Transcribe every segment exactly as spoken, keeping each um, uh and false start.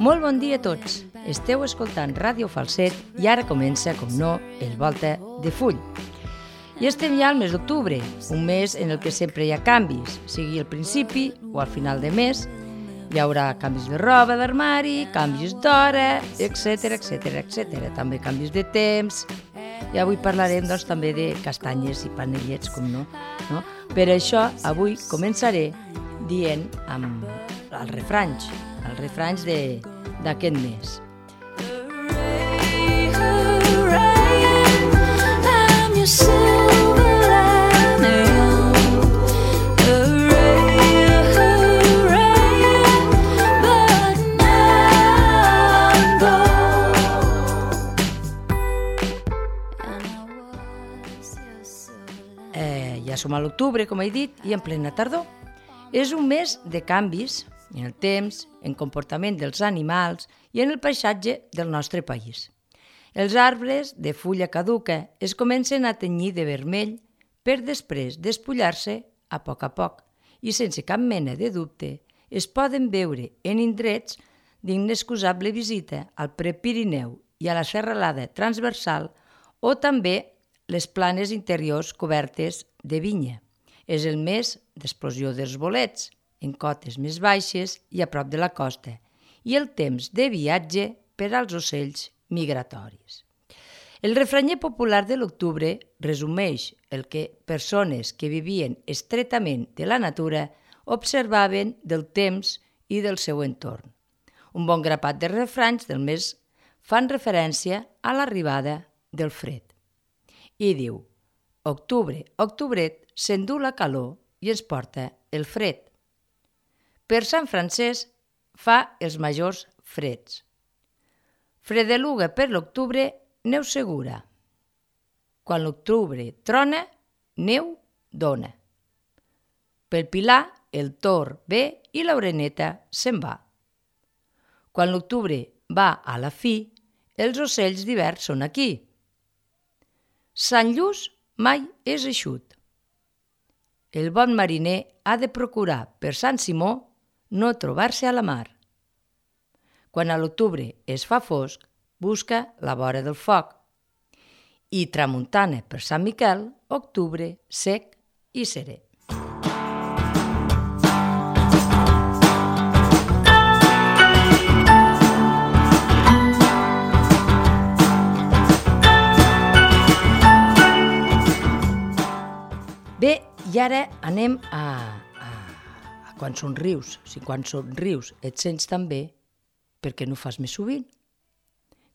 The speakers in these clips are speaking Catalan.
Molt bon dia a tots. Esteu escoltant Ràdio Falset i ara comença, com no, el Volta de Full. I estem ja al mes d'octubre, un mes en el que sempre hi ha canvis, sigui al principi o al final de mes. Hi haurà canvis de roba d'armari, canvis d'hora, etcètera, etcètera, etcètera. També canvis de temps. I avui parlarem doncs, també de castanyes i panellets, com no. no? Per això, avui començaré dient amb els refranys, els refranys d'aquest mes. Eh, ja som a l'octubre, com he dit, i en plena tardor. És un mes de canvis en el temps, en comportament dels animals i en el paisatge del nostre país. Els arbres de fulla caduca es comencen a tenyir de vermell per després despullar-se a poc a poc i sense cap mena de dubte es poden veure en indrets d'inexcusable visita al Prepirineu i a la serralada transversal o també les planes interiors cobertes de vinya. És el mes d'explosió dels bolets, en cotes més baixes i a prop de la costa, i el temps de viatge per als ocells migratoris. El refranyer popular de l'octubre resumeix el que persones que vivien estretament de la natura observaven del temps i del seu entorn. Un bon grapat de refranys del mes fan referència a l'arribada del fred. I diu: octubre, octubret, s'endú la calor i ens porta el fred. Per Sant Francesc fa els majors freds. Fredeluga per l'octubre, neu segura. Quan l'octubre trona, neu dona. Pel Pilar, el tor ve i l'oreneta se'n va. Quan l'octubre va a la fi, els ocells d'hivern són aquí. Sant Lluç mai és eixut. El bon mariner ha de procurar per Sant Simó no trobar-se a la mar. Quan a l'octubre es fa fosc, busca la vora del foc. I tramuntana per Sant Miquel, octubre sec i serè. Bé, i ara anem a, a, a quan somrius. Si quan somrius et sents tan bé, per què no ho fas més sovint?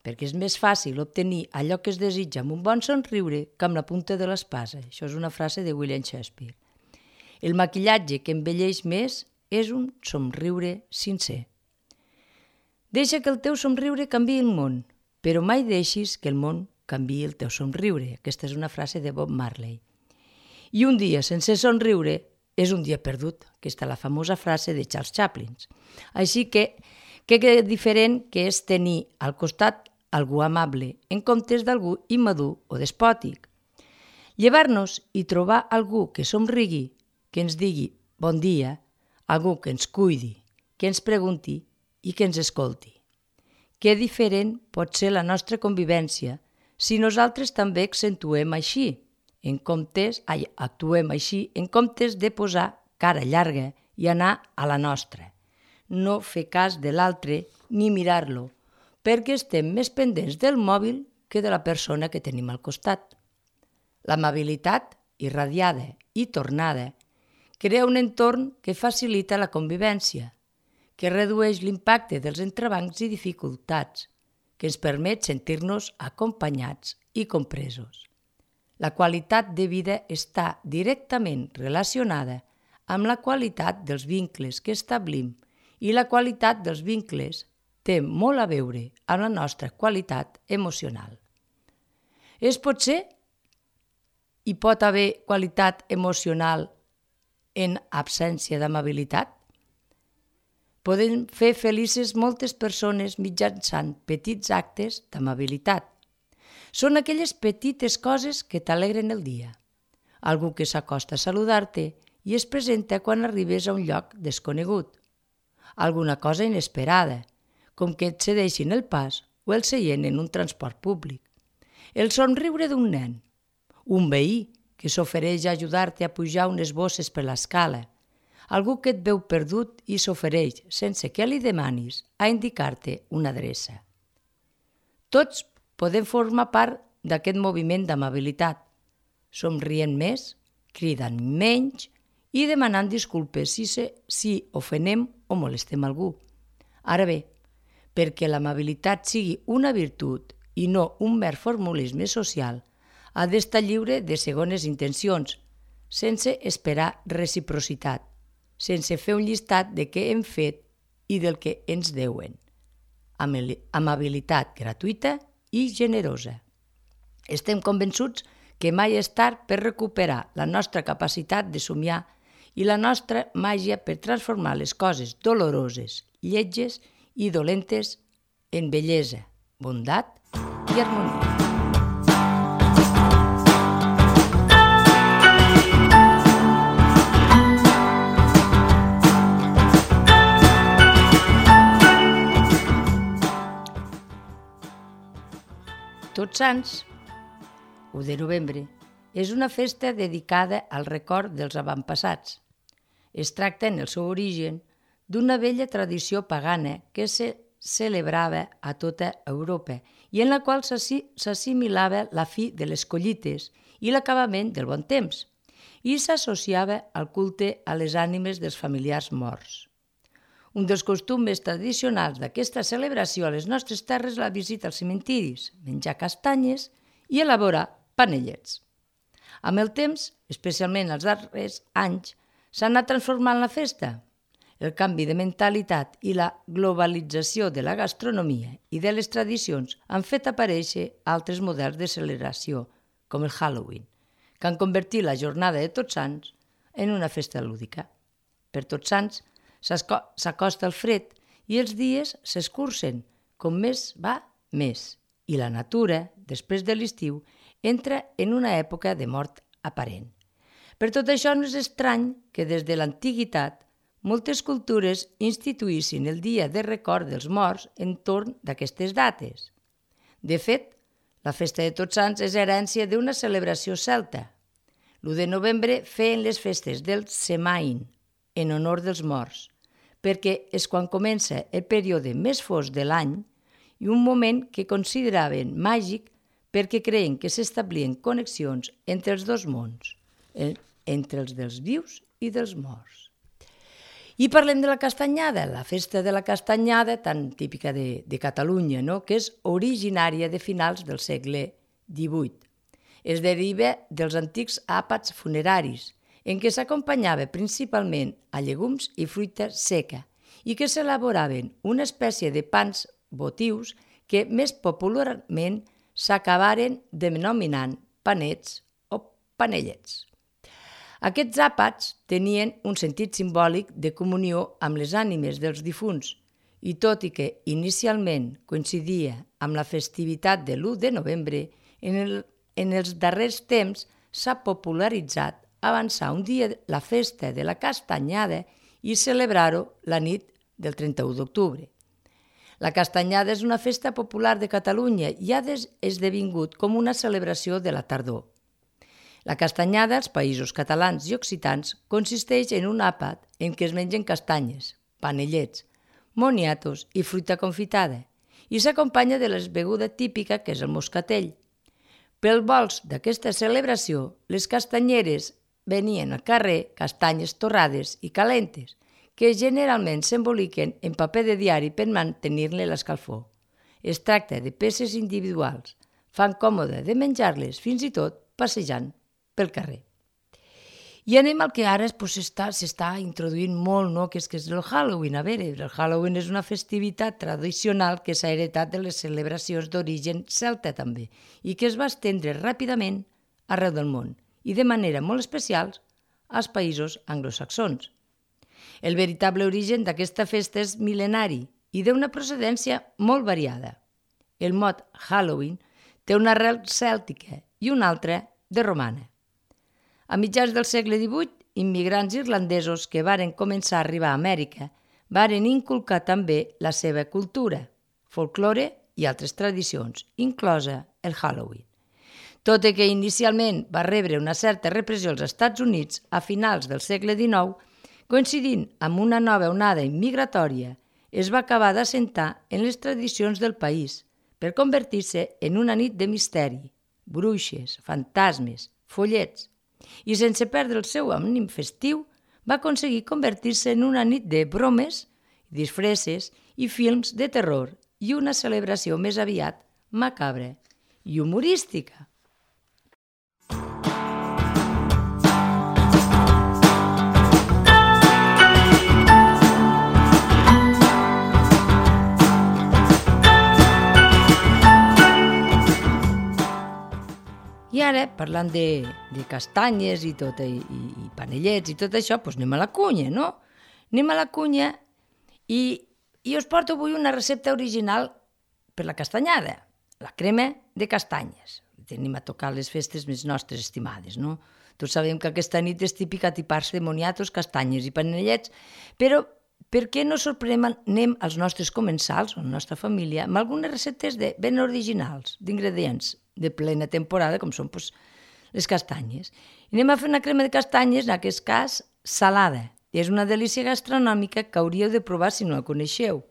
Perquè és més fàcil obtenir allò que es desitja amb un bon somriure que amb la punta de l'espasa. Això és una frase de William Shakespeare. El maquillatge que envelleix més és un somriure sincer. Deixa que el teu somriure canviï el món, però mai deixis que el món canviï el teu somriure. Aquesta és una frase de Bob Marley. I un dia sense somriure és un dia perdut. Aquesta és la famosa frase de Charles Chaplin. Així que, que diferent que és tenir al costat algú amable en comptes d'algú immadur o despòtic. Llevar-nos i trobar algú que somrigui, que ens digui bon dia, algú que ens cuidi, que ens pregunti i que ens escolti. Que diferent pot ser la nostra convivència si nosaltres també accentuem així, en comptes, ai, actuem així en comptes de posar cara llarga i anar a la nostra. No fer cas de l'altre ni mirar-lo, perquè estem més pendents del mòbil que de la persona que tenim al costat. L'amabilitat, irradiada i tornada, crea un entorn que facilita la convivència, que redueix l'impacte dels entrebancs i dificultats, que ens permet sentir-nos acompanyats i compresos. La qualitat de vida està directament relacionada amb la qualitat dels vincles que establim i la qualitat dels vincles té molt a veure amb la nostra qualitat emocional. És potser hi pot haver qualitat emocional en absència d'amabilitat? Podem fer felices moltes persones mitjançant petits actes d'amabilitat. Són aquelles petites coses que t'alegren el dia. Algú que s'acosta a saludar-te i es presenta quan arribes a un lloc desconegut. Alguna cosa inesperada, com que et cedeixin el pas o el seient en un transport públic. El somriure d'un nen, un veí que s'ofereix a ajudar-te a pujar unes bosses per l'escala, algú que et veu perdut i s'ofereix, sense que li demanis, a indicar-te una adreça. Tots podem formar part d'aquest moviment d'amabilitat, somrient més, cridant menys i demanant disculpes si, se, si ofenem o molestem algú. Ara bé, perquè l'amabilitat sigui una virtut i no un mer formulisme social, ha d'estar lliure de segones intencions, sense esperar reciprocitat, sense fer un llistat de què hem fet i del que ens deuen. Amabilitat gratuïta i generosa. Estem convençuts que mai és tard per recuperar la nostra capacitat de somiar i la nostra màgia per transformar les coses doloroses, lletges i dolentes en bellesa, bondat i harmonia. Tots Sants, u de novembre, és una festa dedicada al record dels avantpassats. Es tracta, en el seu origen, d'una vella tradició pagana que se celebrava a tota Europa i en la qual s'assimilava la fi de les collites i l'acabament del bon temps i s'associava al culte a les ànimes dels familiars morts. Un dels costums tradicionals d'aquesta celebració a les nostres terres és la visita als cementiris, menjar castanyes i elaborar panellets. Amb el temps, especialment els darrers anys, s'ha anat transformant la festa. El canvi de mentalitat i la globalització de la gastronomia i de les tradicions han fet aparèixer altres models de celebració, com el Halloween, que han convertit la jornada de Tots Sants en una festa lúdica. Per Tots Sants s'acosta el fred i els dies s'escurcen, com més va, més, i la natura, després de l'estiu, entra en una època de mort aparent. Per tot això no és estrany que des de l'antiguitat moltes cultures instituïssin el dia de record dels morts entorn d'aquestes dates. De fet, la festa de Tots Sants és herència d'una celebració celta. L'u de novembre feien les festes del Semain, en honor dels morts, perquè és quan comença el període més fosc de l'any i un moment que consideraven màgic perquè creien que s'establien connexions entre els dos mons, entre els dels vius i dels morts. I parlem de la castanyada, la festa de la castanyada tan típica de, de Catalunya, no? Que és originària de finals del segle divuit. Es deriva dels antics àpats funeraris, en què s'acompanyava principalment a llegums i fruita seca i que s'elaboraven una espècie de pans votius que més popularment s'acabaren denominant panets o panellets. Aquests àpats tenien un sentit simbòlic de comunió amb les ànimes dels difunts i tot i que inicialment coincidia amb la festivitat de l'u de novembre, en, el, en els darrers temps s'ha popularitzat avançar un dia la festa de la castanyada i celebrar-ho la nit del trenta-u d'octubre. La castanyada és una festa popular de Catalunya i ha esdevingut com una celebració de la tardor. La castanyada als països catalans i occitans consisteix en un àpat en què es mengen castanyes, panellets, moniatos i fruita confitada i s'acompanya de la beguda típica que és el moscatell. Pel vols d'aquesta celebració, les castanyeres venien al carrer castanyes torrades i calentes, que generalment s'emboliquen en paper de diari per mantenir-ne l'escalfor. Es tracta de peces individuals, fan còmode de menjar-les fins i tot passejant pel carrer. I anem al que ara pues, s'està introduint molt, no? que, és, que és el Halloween. A veure, el Halloween és una festivitat tradicional que s'ha heretat de les celebracions d'origen celta també i que es va estendre ràpidament arreu del món i de manera molt especial als països anglosaxons. El veritable origen d'aquesta festa és mil·lenari i d'una procedència molt variada. El mot Halloween té una arrel cèltica i una altra de romana. A mitjans del segle divuit, immigrants irlandesos que varen començar a arribar a Amèrica varen inculcar també la seva cultura, folklore i altres tradicions, inclosa el Halloween. Tot i que inicialment va rebre una certa repressió als Estats Units a finals del segle dinou, coincidint amb una nova onada immigratòria, es va acabar d'assentar en les tradicions del país per convertir-se en una nit de misteri, bruixes, fantasmes, follets, i sense perdre el seu ànim festiu, va aconseguir convertir-se en una nit de bromes, disfresses i films de terror i una celebració més aviat macabra i humorística. I ara, parlant de, de castanyes i, tot, i, i panellets i tot això, doncs anem a la cunya, no? Anem a la cunya i, i us porto avui una recepta original per la castanyada, la crema de castanyes. Tenim a tocar les festes més nostres estimades, no? Tots sabem que aquesta nit és típica atipar-se de moniatos, castanyes i panellets, però per què no sorprenem als nostres comensals o a la nostra família amb algunes receptes de, ben originals, d'ingredients de plena temporada, com són doncs, les castanyes. I anem a fer una crema de castanyes, en aquest cas, salada. És una delícia gastronòmica que hauríeu de provar si no la coneixeu.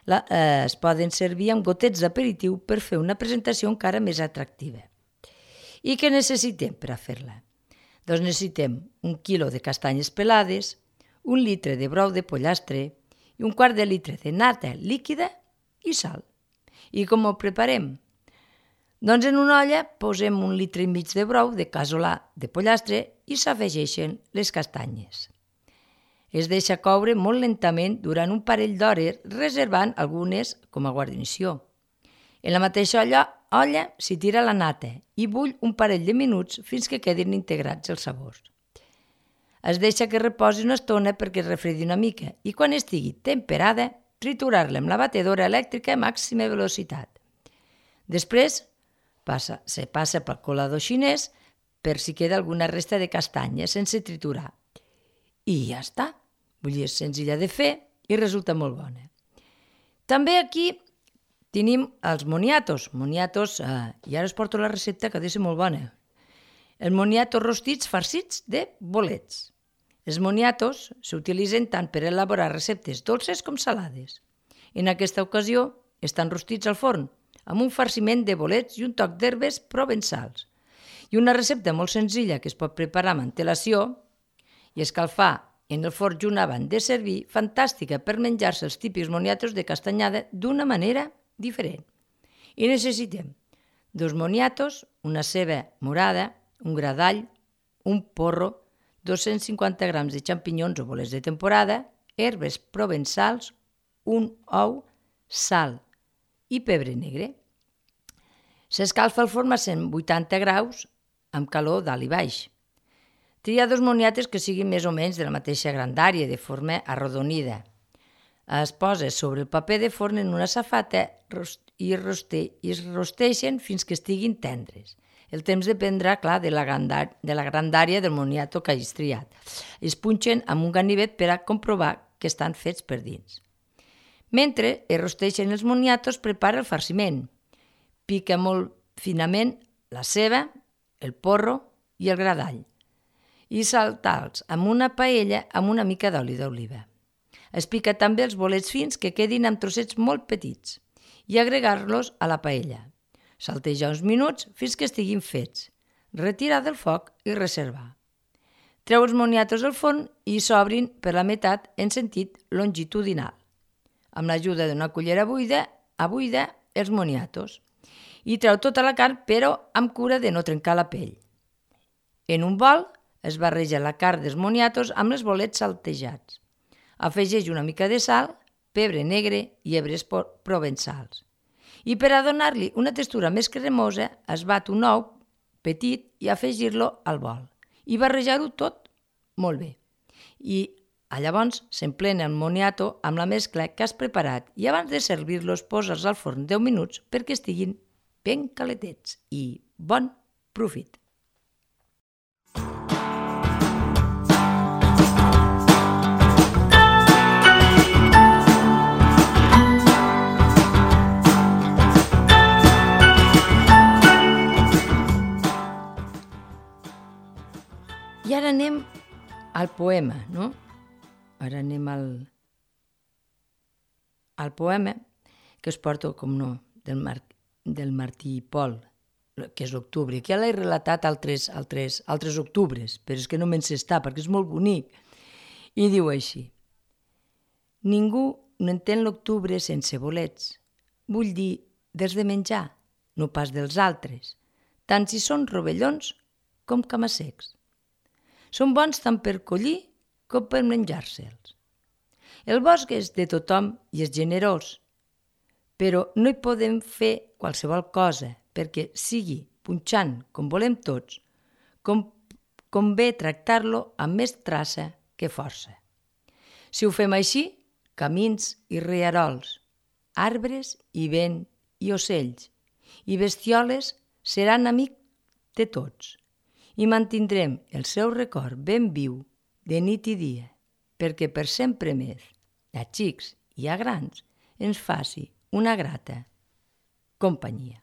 La, eh, es poden servir amb gotets d'aperitiu per fer una presentació encara més atractiva. I què necessitem per a fer-la? Doncs necessitem un quilo de castanyes pelades, un litre de brou de pollastre i un quart de litre de nata líquida i sal. I com ho preparem? Doncs en una olla posem un litre i mig de brou de casolà de pollastre i s'afegeixen les castanyes. Es deixa coure molt lentament durant un parell d'hores, reservant algunes com a guarnició. En la mateixa olla, olla s'hi tira la nata i bull un parell de minuts fins que quedin integrats els sabors. Es deixa que reposi una estona perquè es refredi una mica i quan estigui temperada, triturar-la amb la batedora elèctrica a màxima velocitat. Després, Passa, se passa pel colador xinès per si queda alguna resta de castanya sense triturar. I ja està. Vull dir, és senzilla de fer i resulta molt bona. També aquí tenim els moniatos. Moniatos, eh, i ara us porto la recepta que ha de ser molt bona. Els moniatos rostits farcits de bolets. Els moniatos s'utilitzen tant per elaborar receptes dolces com salades. En aquesta ocasió estan rostits al forn, amb un farciment de bolets i un toc d'herbes provençals. I una recepta molt senzilla que es pot preparar amb antelació i escalfar en el forn junt abans de servir, fantàstica per menjar-se els típics moniatos de castanyada d'una manera diferent. I necessitem dos moniatos, una ceba morada, un gra d'all, un porro, dos-cents cinquanta grams de xampinyons o bolets de temporada, herbes provençals, un ou, sal i pebre negre. S'escalfa el forn a cent vuitanta graus amb calor dalt i baix. Tria dos moniatos que siguin més o menys de la mateixa grandària, de forma arrodonida. Es posa sobre el paper de forn en una safata i es rosteixen fins que estiguin tendres. El temps dependrà, clar, de la grandària del moniato que hagis triat. Es punxen amb un ganivet per a comprovar que estan fets per dins. Mentre es rosteixen els moniatos, prepara el farciment. Pica molt finament la ceba, el porro i el gra d'all. I saltar-los amb una paella amb una mica d'oli d'oliva. Es pica també els bolets fins que quedin amb trossets molt petits i agregar-los a la paella. Saltejar uns minuts fins que estiguin fets. Retirar del foc i reservar. Treu els moniatos del forn i s'obrin per la meitat en sentit longitudinal. Amb l'ajuda d'una cullera buida, a buida els moniatos. I treu tota la carn, però amb cura de no trencar la pell. En un bol es barreja la carn dels moniatos amb els bolets saltejats. Afegeix una mica de sal, pebre negre i herbes provençals. I per a donar-li una textura més cremosa, es bat un ou petit i afegir-lo al bol. I barrejar-ho tot molt bé. I llavors s'emplena el moniato amb la mescla que has preparat i abans de servir-los posa'ls al forn deu minuts perquè estiguin ben caletets i bon profit. al poema, no? Ara anem al, al poema que es porta, com no, del, Mar, del Martí i Pol, que és l'octubre, que ja l'he relatat altres, altres, altres octubres, però és que no me'n s'està, perquè és molt bonic. I diu així: ningú no entén l'octubre sense bolets. Vull dir, dels de menjar, no pas dels altres, tant si són rovellons com camassecs. Són bons tant per collir com per menjar-se'ls. El bosc és de tothom i és generós, però no hi podem fer qualsevol cosa perquè sigui punxant com volem tots, com, convé tractar-lo amb més traça que força. Si ho fem així, camins i rierols, arbres i vent i ocells i bestioles seran amics de tots i mantindrem el seu record ben viu de nit i dia, perquè per sempre més, a xics i a grans, ens faci una grata companyia.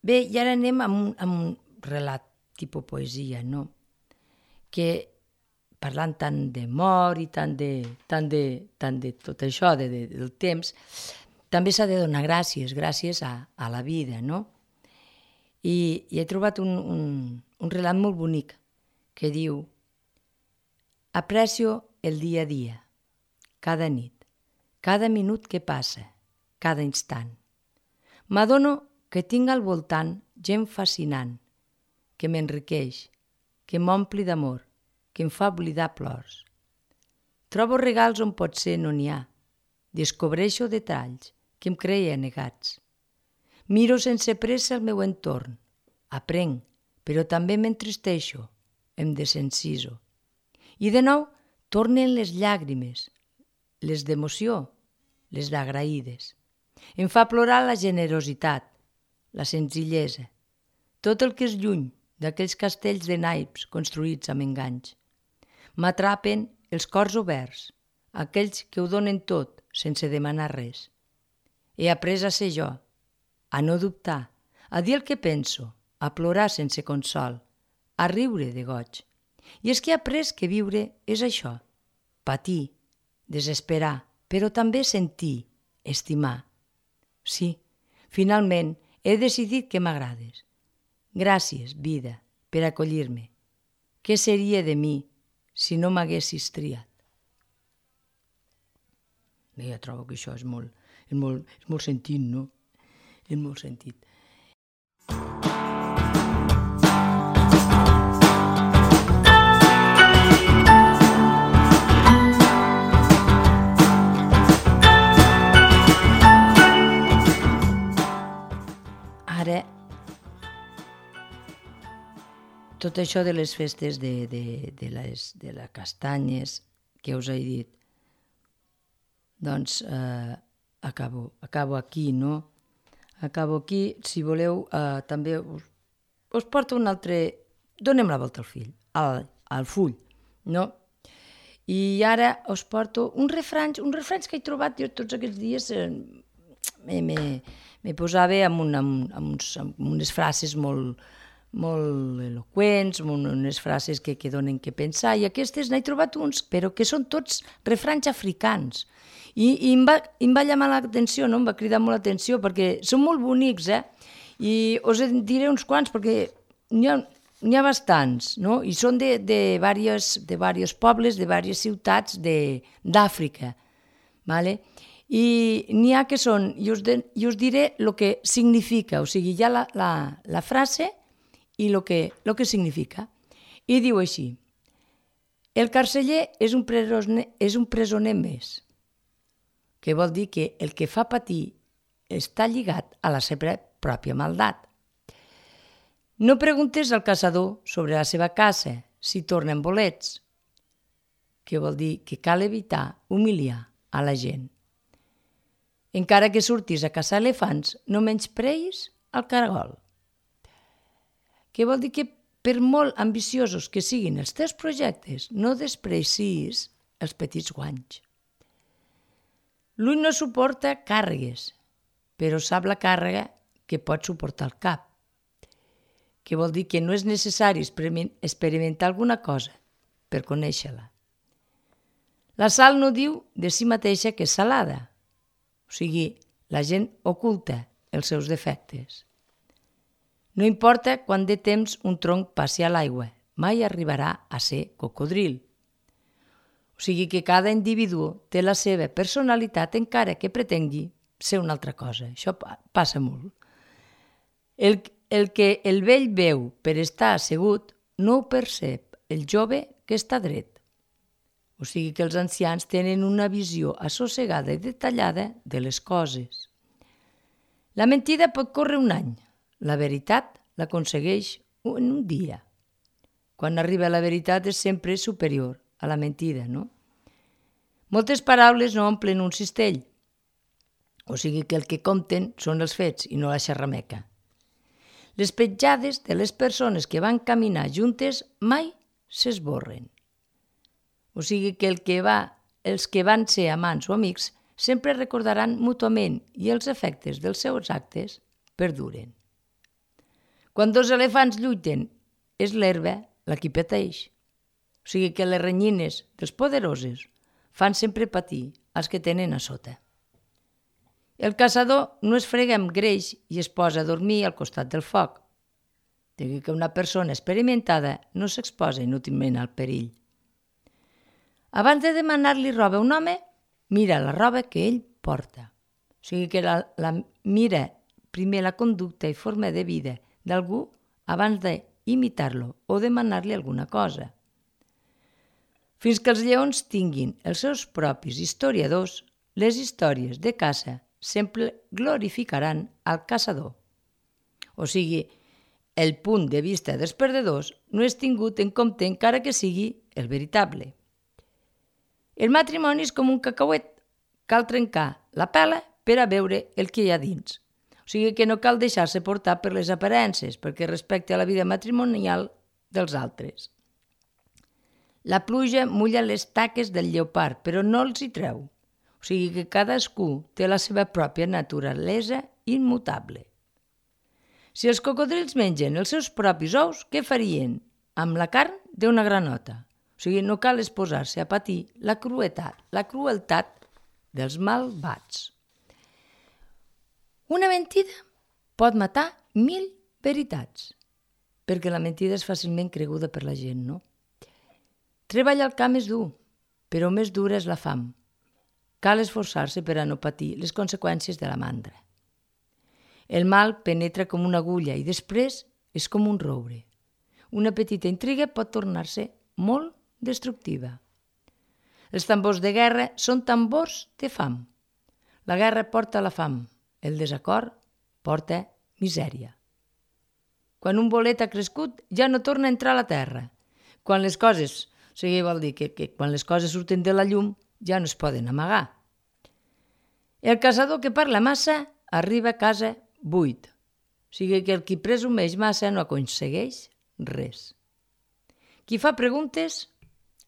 Bé, i ara anem amb un, amb un relat tipus poesia, no? Que parlant tant de mort i tant de, tant de, tant de tot això, de, de, del temps, també s'ha de donar gràcies, gràcies a, a la vida, no? I, i he trobat un, un, un relat molt bonic que diu: aprecio el dia a dia, cada nit, cada minut que passa, cada instant. M'adono que tinc al voltant gent fascinant, que m'enriqueix, que m'ompli d'amor, que em fa oblidar plors. Trobo regals on potser no n'hi ha, descobreixo detalls que em creia negats. Miro sense pressa el meu entorn, aprenc, però també m'entristeixo, em desenciso. I de nou tornen les llàgrimes, les d'emoció, les d'agraïdes. Em fa plorar la generositat, la senzillesa, tot el que és lluny d'aquells castells de naips construïts amb enganys. M'atrapen els cors oberts, aquells que ho donen tot sense demanar res. He après a ser jo, a no dubtar, a dir el que penso, a plorar sense consol, a riure de goig. I és que he après que viure és això, patir, desesperar, però també sentir, estimar. Sí, finalment he decidit que m'agrades. Gràcies, vida, per acollir-me. Què seria de mi si no m'haguessis triat? Bé, jo trobo que això és molt, és molt, és molt sentit, no? És molt sentit. Ara, tot això de les festes de, de, de, les, de les castanyes que us he dit, doncs eh, acabo, acabo aquí, no? Acabo aquí. Si voleu, eh, també us, us porto un altre... Donem la volta al fill, al, al full, no? I ara us porto un refranys, un refranys que he trobat jo tots aquests dies. Eh, me, me, me posava amb, un, amb, amb, uns, amb unes frases molt, molt eloqüents, amb unes frases que, que donen que pensar, i aquestes n'he trobat uns, però que són tots refranys africans. I, i em, va, em va llamar l'atenció, no? Em va cridar molt l'atenció, perquè són molt bonics, eh? I us en diré uns quants, perquè n'hi ha, n'hi ha bastants, no? I són de, de, diversos, de diversos pobles, de diverses ciutats d'Àfrica, vale? I n'hi ha que són, i us, de, i us diré el que significa, o sigui, hi ha la, la, la frase i el que, lo que significa. I diu així: el carceller és un presoner, és un presoner més, que vol dir que el que fa patir està lligat a la seva pròpia maldat. No preguntes al caçador sobre la seva caça si tornen bolets, que vol dir que cal evitar humiliar a la gent. Encara que surtis a caçar elefants, no menyspreïs el caragol, que vol dir que per molt ambiciosos que siguin els teus projectes, no desprecis els petits guanys. L'ull no suporta càrregues, però sap la càrrega que pot suportar el cap. que vol dir que no és necessari experimentar alguna cosa per conèixer-la. La sal no diu de si mateixa que és salada, o sigui, la gent oculta els seus defectes. No importa quant de temps un tronc passi a l'aigua, mai arribarà a ser cocodril. O sigui que cada individu té la seva personalitat encara que pretengui ser una altra cosa. Això passa molt. El, el que el vell veu per estar assegut no ho percep el jove que està dret. O sigui que els ancians tenen una visió assossegada i detallada de les coses. La mentida pot córrer un any. La veritat l'aconsegueix en un dia. Quan arriba la veritat és sempre superior a la mentida, no? Moltes paraules no omplen un cistell. O sigui que el que compten són els fets i no la xerrameca. Les petjades de les persones que van caminar juntes mai s'esborren. O sigui que, el que va, els que van ser amants o amics sempre recordaran mútuament i els efectes dels seus actes perduren. Quan dos elefants lluiten, és l'herba la qui pateix. O sigui que les renyines dels poderosos fan sempre patir els que tenen a sota. El caçador no es frega amb greix i es posa a dormir al costat del foc. Digui que una persona experimentada no s'exposa inútilment al perill. Abans de demanar-li roba a un home, mira la roba que ell porta. O sigui que la, la mira primer la conducta i forma de vida d'algú abans d'imitar-lo o demanar-li alguna cosa. Fins que els lleons tinguin els seus propis historiadors, les històries de caça sempre glorificaran al caçador. O sigui, el punt de vista dels perdedors no és tingut en compte encara que sigui el veritable. El matrimoni és com un cacauet. Cal trencar la pela per a veure el que hi ha dins. O sigui que no cal deixar-se portar per les aparences, perquè respecta la vida matrimonial dels altres. La pluja mulla les taques del lleopard, però no els hi treu. O sigui que cadascú té la seva pròpia naturalesa immutable. Si els cocodrils mengen els seus propis ous, què farien? Amb la carn d'una granota. O sigui, no cal exposar-se a patir la crueltat, la crueltat dels malvats. Una mentida pot matar mil veritats, perquè la mentida és fàcilment creguda per la gent, no? Treballar al camp és dur, però més dura és la fam. Cal esforçar-se per a no patir les conseqüències de la mandra. El mal penetra com una agulla i després és com un roure. Una petita intriga pot tornar-se molt destructiva. Els tambors de guerra són tambors de fam. La guerra porta la fam, el desacord porta misèria. Quan un bolet ha crescut, ja no torna a entrar a la terra. Quan les coses, o sigui, vol dir que, que quan les coses surten de la llum, ja no es poden amagar. El caçador que parla massa arriba a casa buit. O sigui que el qui presumeix massa no aconsegueix res. Qui fa preguntes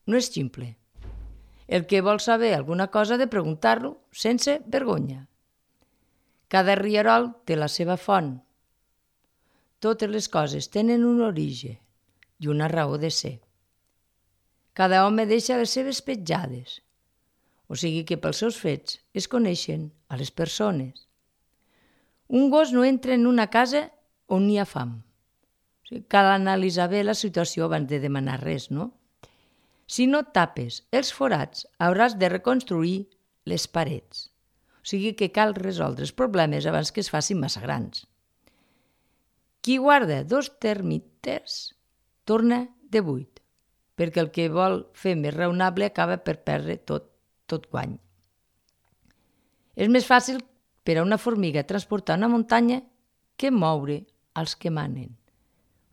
no és ximple. El que vol saber alguna cosa ha de preguntar-lo sense vergonya. Cada rierol té la seva font. Totes les coses tenen un origen i una raó de ser. Cada home deixa les seves petjades. O sigui que pels seus fets es coneixen a les persones. Un gos no entra en una casa on hi ha fam. O sigui, cal analitzar bé la situació abans de demanar res, no? Si no tapes els forats, hauràs de reconstruir les parets. O sigui que cal resoldre els problemes abans que es facin massa grans. Qui guarda dos termites torna de buit, perquè el que vol fer més raonable acaba per perdre tot, tot guany. És més fàcil per a una formiga transportar una muntanya que moure els que manen.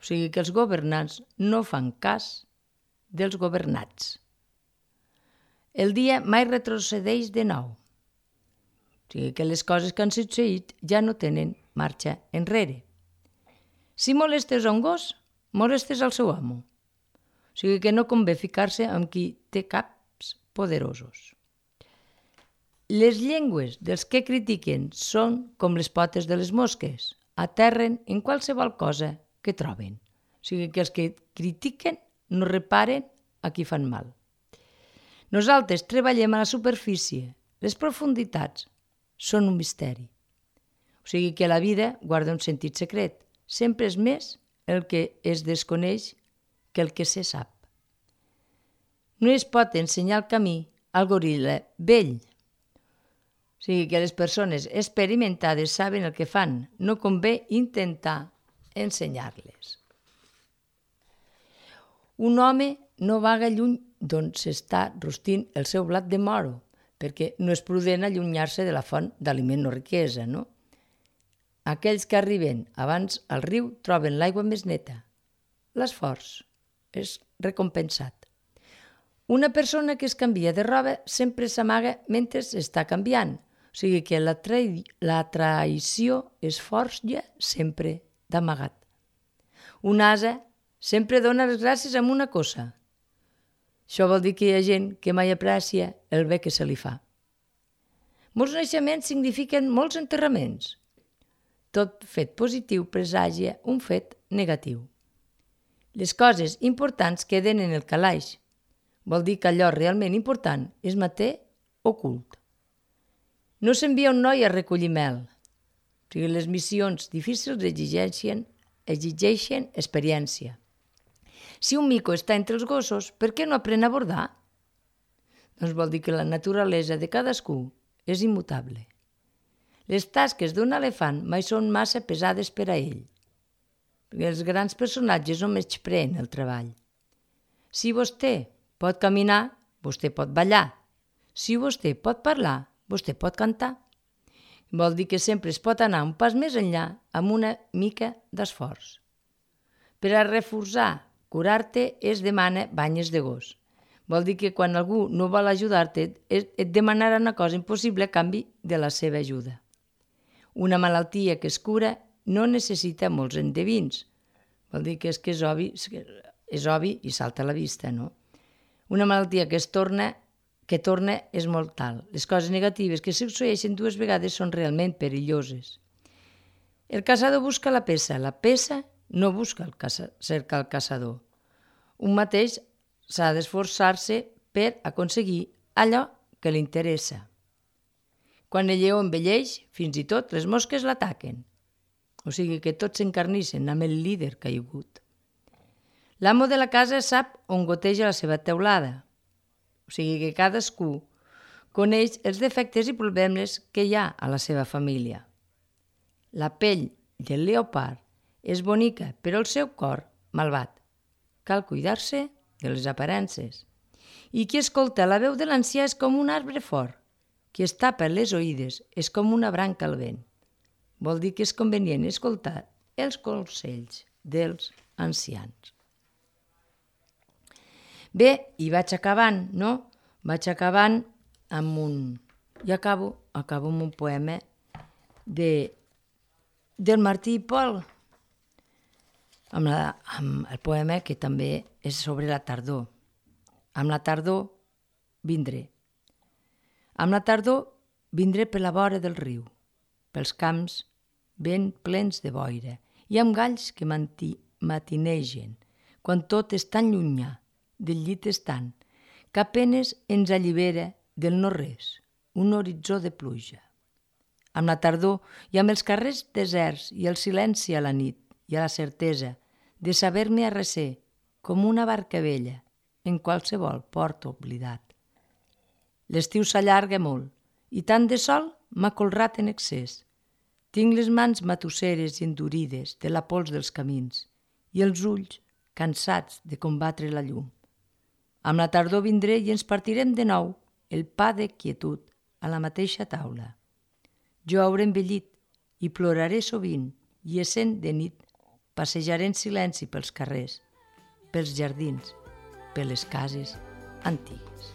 O sigui que els governants no fan cas dels governats. El dia mai retrocedeix de nou. O sigui que les coses que han succeït ja no tenen marxa enrere. Si molestes a un gos, molestes al seu amo. O sigui que no convé ficar-se amb qui té caps poderosos. Les llengües dels que critiquen són com les potes de les mosques. Aterren en qualsevol cosa que troben. O sigui que els que critiquen no reparen a qui fan mal. Nosaltres treballem a la superfície. Les profunditats són un misteri. O sigui que la vida guarda un sentit secret. Sempre és més el que es desconeix que el que se sap. No es pot ensenyar el camí al goril·la vell. O sigui que les persones experimentades saben el que fan. No convé intentar ensenyar-les. Un home no vaga lluny d'on s'està rostint el seu blat de moro, perquè no és prudent allunyar-se de la font d'aliment o riquesa, no? Aquells que arriben abans al riu troben l'aigua més neta. L'esforç és recompensat. Una persona que es canvia de roba sempre s'amaga mentre està canviant. O sigui que la, tra la traïció es forja sempre d'amagat. Un ase sempre dona les gràcies amb una cosa. Això vol dir que hi ha gent que mai aprecia el bé que se li fa. Molts naixements signifiquen molts enterraments. Tot fet positiu presagia un fet negatiu. Les coses importants queden en el calaix. Vol dir que allò realment important es manté ocult. No s'envia un noi a recollir mel. O sigui, les missions difícils exigeixen, exigeixen experiència. Si un mico està entre els gossos, per què no aprèn a bordar? Doncs vol dir que la naturalesa de cadascú és immutable. Les tasques d'un elefant mai són massa pesades per a ell, perquè els grans personatges no menyspreen el treball. Si vostè pot caminar, vostè pot ballar. Si vostè pot parlar, vostè pot cantar. Vol dir que sempre es pot anar un pas més enllà amb una mica d'esforç. Per a reforçar, curar-te es demana banyes de gos. Vol dir que quan algú no vol ajudar-te, et demanarà una cosa impossible a canvi de la seva ajuda. Una malaltia que es cura no necessita molts endevins. Vol dir que és que és obvi, és obvi i salta a la vista, no? Una malaltia que es torna, que torna és mortal. Les coses negatives que succeeixen dues vegades són realment perilloses. El caçador busca la peça, la peça no busca el caça, cerca el caçador. Un mateix s'ha d'esforçar-se per aconseguir allò que li interessa. Quan el lleó envelleix, fins i tot les mosques l'ataquen. O sigui que tots s'encarnissen amb el líder caigut. L'amo de la casa sap on goteja la seva teulada. O sigui que cadascú coneix els defectes i problemes que hi ha a la seva família. La pell del leopard és bonica, però el seu cor malvat. Cal cuidar-se de les aparences. I qui escolta la veu de l'ancià és com un arbre fort. Qui es tapa les oïdes és com una branca al vent. Vol dir que és convenient escoltar els consells dels ancians. Bé, i vaig acabant, no? Vaig acabant amb un... I acabo, acabo amb un poema de, del Martí i Pol, amb, la, amb el poema que també és sobre la tardor. Amb la tardor vindré. Amb la tardor vindré per la vora del riu, pels camps ben plens de boira i amb galls que matinegen, quan tot és tan llunyà, del llit estant, que apenes ens allibera del no-res, un horitzó de pluja. Amb la tardor i amb els carrers deserts i el silenci a la nit i a la certesa de saber-me arrecer com una barca vella en qualsevol port oblidat. L'estiu s'allarga molt i tant de sol m'ha colrat en excés. Tinc les mans matusseres i endurides de la pols dels camins i els ulls cansats de combatre la llum. Amb la tardor vindré i ens partirem de nou el pa de quietud a la mateixa taula. Jo hauré envellit i ploraré sovint i essent de nit passejaré en silenci pels carrers, pels jardins, per les cases antigues.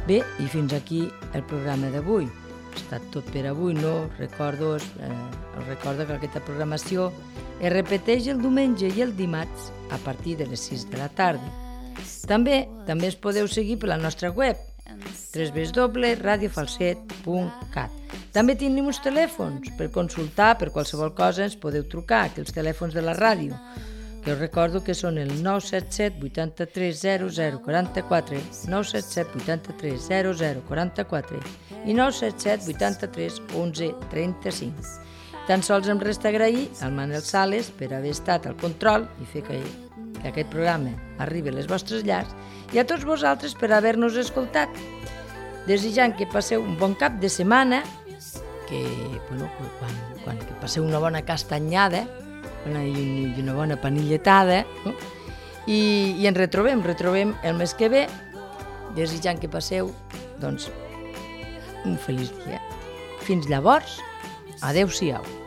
Bé, i fins aquí el programa d'avui. Ha estat tot per avui, no? Recordo, eh, us recordo que aquesta programació es repeteix el diumenge i el dimarts a partir de les sis de la tarda. També també es podeu seguir per la nostra web, w w w punt radio falset punt cat. També tenim uns telèfons per consultar, per qualsevol cosa ens podeu trucar, que els telèfons de la ràdio, que us recordo que són el nou set set vuitanta-tres zero zero quaranta-quatre, nou set set vuitanta-tres zero zero quaranta-quatre i nou set set vuitanta-tres onze trenta-cinc. Tan sols em resta agrair al Manel Sales per haver estat al control i fer que, que aquest programa arribi a les vostres llars i a tots vosaltres per haver-nos escoltat. Desitjant que passeu un bon cap de setmana, que, bueno, quan, quan que passeu una bona castanyada i una bona panilletada, no? I, i ens retrobem, retrobem el mes que ve, desitjant que passeu, doncs, un feliç dia. Fins llavors, adeu-siau.